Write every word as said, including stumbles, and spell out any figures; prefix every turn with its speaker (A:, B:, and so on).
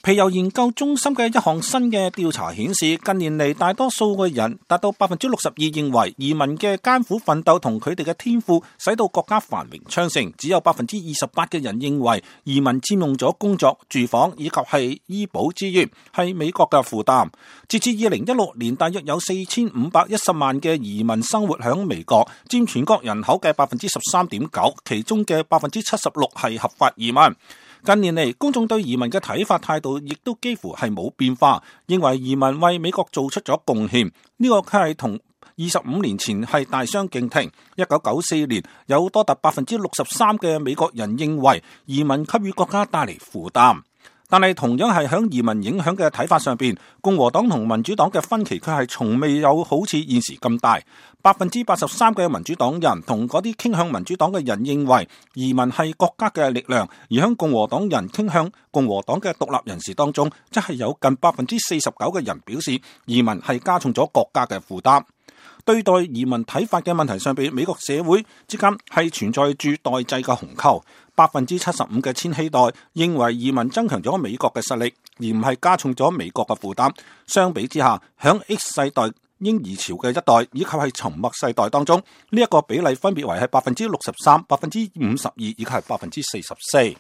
A: 皮尤研究中心嘅一項新嘅調查顯示，近年嚟大多數嘅人達到百分之六十二認為移民嘅艱苦奮鬥同佢哋嘅天賦使到國家繁榮昌盛，只有百分之二十八嘅人認為移民佔用咗工作、住房以及係醫保資源，係美國嘅負擔。截至二零一六年，大約有四千五百一十萬嘅移民生活響美國，佔全國人口嘅百分之十三點九，其中嘅百分之七十六係合法移民。近年嚟，公眾對移民嘅睇法態度亦都幾乎係冇變化，認為移民為美國做出咗貢獻。呢、這個佢係同二十五年前係大相徑庭。一九九四年，有多達百分之六十三嘅美國人認為移民給予國家帶嚟負擔。但係同樣係響移民影響嘅睇法上邊，共和黨同民主黨嘅分歧佢係從未有好似現時咁大。百分之八十三嘅民主黨人同嗰啲傾向民主黨嘅人認為移民係國家嘅力量，而響共和黨人傾向共和黨嘅獨立人士當中，則係有近百分之四十九嘅人表示移民係加重咗國家嘅負擔。對待移民睇法嘅問題上邊，美國社會之間係存在住代際嘅鴻溝。百分之七十五嘅千禧代認為移民增強咗美國嘅實力，而唔係加重咗美國嘅負擔。相比之下，響 X 世代嬰兒潮嘅一代以及係沉默世代當中，呢、這、一個比例分別為係百分之六十三、百分之五十二以及係百分之四十四。